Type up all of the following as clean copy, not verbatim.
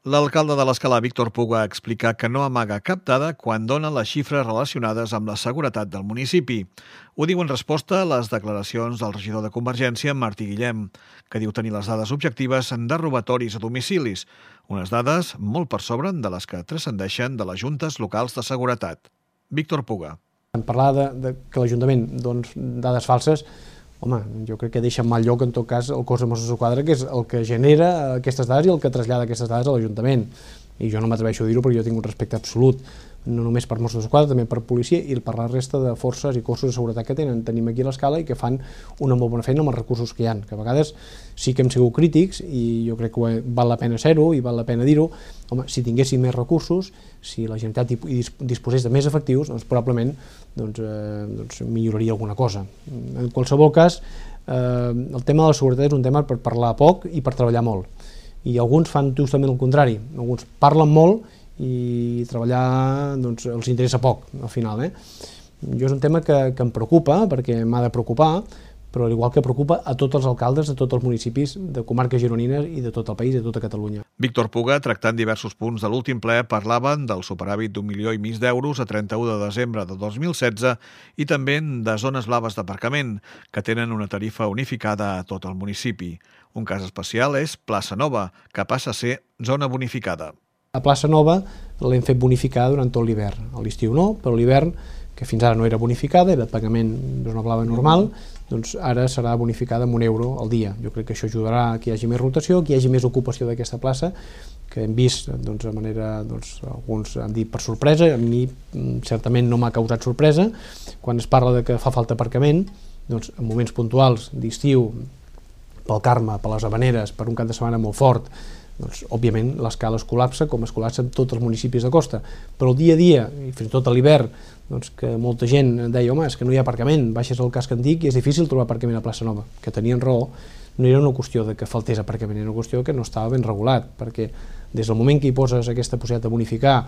L'alcalde de l'Escala, Víctor Puga, explica que no amaga cap dada quan dona les xifres relacionades amb la seguretat del municipi. Ho diu en resposta a les declaracions del regidor de Convergència, Martí Guillem, que diu tenir les dades objectives de robatoris a domicilis, unes dades molt per sobre de les que transcendeixen de les juntes locals de seguretat. Víctor Puga. En parlar de que l'Ajuntament doni dades falses, home, jo crec que deixa en mal lloc, en tot cas, el cos de Mossos d'Esquadra, que és el que genera aquestes dades i el que trasllada aquestes dades a l'Ajuntament. I jo no m'atreveixo a dir-ho perquè jo tinc un respecte absolut, no només per Mossos d'Esquadra, també per policia i per la resta de forces i cossos de seguretat que tenim aquí a l'Escala i que fan una molt bona feina amb els recursos que hi ha, que a vegades sí que hem sigut crítics i jo crec que val la pena ser-ho i val la pena dir-ho. Home, si tinguéssim més recursos, si la Generalitat disposés de més efectius, doncs probablement milloraria alguna cosa. En qualsevol cas, el tema de la seguretat és un tema per parlar poc i per treballar molt. I alguns fan justament el contrari, alguns parlen molt i treballar els interessa poc al final. Jo és un tema que em preocupa, perquè m'ha de preocupar, però al igual que preocupa a tots els alcaldes de tots els municipis de comarques gironines i de tot el país i de tota Catalunya. Víctor Puga, tractant diversos punts de l'últim ple, parlaven del superàvit d'1,5 milió d'euros a 31 de desembre de 2016 i també de zones blaves d'aparcament, que tenen una tarifa unificada a tot el municipi. Un cas especial és Plaça Nova, que passa a ser zona bonificada. A Plaça Nova l'hem fet bonificar durant tot l'hivern. A l'estiu no, però l'hivern, que fins ara no era bonificada, era de pagament de zona blava normal, doncs ara serà bonificada amb €1 al dia. Jo crec que això ajudarà a que hi hagi més rotació, que hi hagi més ocupació d'aquesta plaça, que hem vist de manera, alguns han dit per sorpresa, a mi certament no m'ha causat sorpresa. Quan es parla de que fa falta aparcament, doncs en moments puntuals d'estiu, pel Carme, per les Havaneres, per un cap de setmana molt fort, doncs, òbviament, l'Escala es col·lapsa com es col·lapsen tots els municipis de costa. Però el dia a dia, i fins i tot a l'hivern, que molta gent deia, home, és que no hi ha aparcament, baixes al casc antic i és difícil trobar aparcament a Plaça Nova, que tenien raó, no era una qüestió de que faltés aparcament, era una qüestió que no estava ben regulat, perquè des del moment que hi poses aquesta possibilitat de bonificar,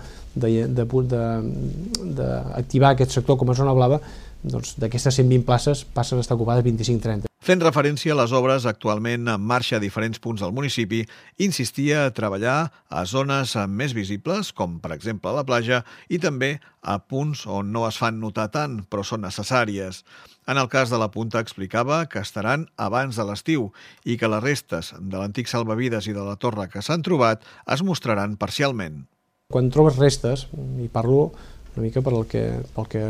d'activar aquest sector com a zona blava, doncs d'aquestes 120 places passen a estar ocupades 25-30. Fent referència a les obres actualment en marxa a diferents punts del municipi, insistia a treballar a zones més visibles, com per exemple a la platja, i també a punts on no es fan notar tant, però són necessàries. En el cas de la Punta explicava que estaran abans de l'estiu i que les restes de l'antic salvavides i de la torre que s'han trobat es mostraran parcialment. Quan trobes restes, i parlo una mica pel que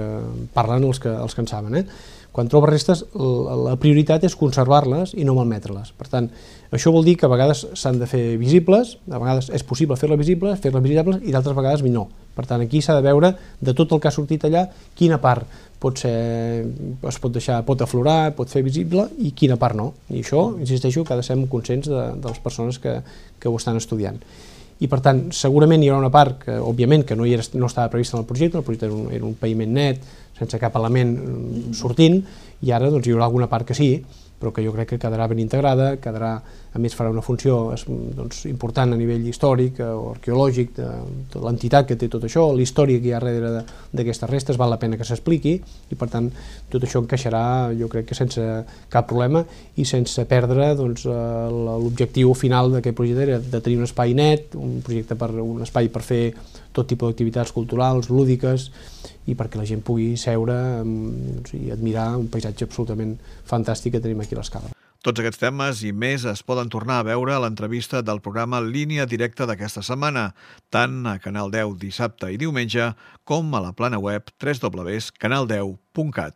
parlen els que en saben, quan trobes restes, la prioritat és conservar-les i no malmetre-les. Per tant, això vol dir que a vegades s'han de fer visibles, a vegades és possible fer-les visibles i d'altres vegades no. Per tant, aquí s'ha de veure de tot el que ha sortit allà, quina part pot aflorar, pot fer visible i quina part no. I això, insisteixo, que ha de ser conscients de les persones que ho estan estudiant. I per tant, segurament hi haurà una part que, òbviament, que no estava prevista en el projecte era un paviment net, sense cap element sortint, i ara hi haurà alguna part que sí, però que jo crec que quedarà ben integrada, a més farà una funció important a nivell històric o arqueològic de l'entitat que té tot això, la història que hi ha darrere d'aquestes restes, val la pena que s'expliqui, i per tant tot això encaixarà, jo crec que sense cap problema i sense perdre l'objectiu final d'aquest projecte de tenir un espai net, un espai per fer tot tipus d'activitats culturals, lúdiques, i perquè la gent pugui seure i admirar un paisatge absolutament fantàstic que tenim aquí a l'Escala. Tots aquests temes i més es poden tornar a veure a l'entrevista del programa Línia Directa d'aquesta setmana, tant a Canal 10 dissabte i diumenge com a la plana web www.canal10.cat.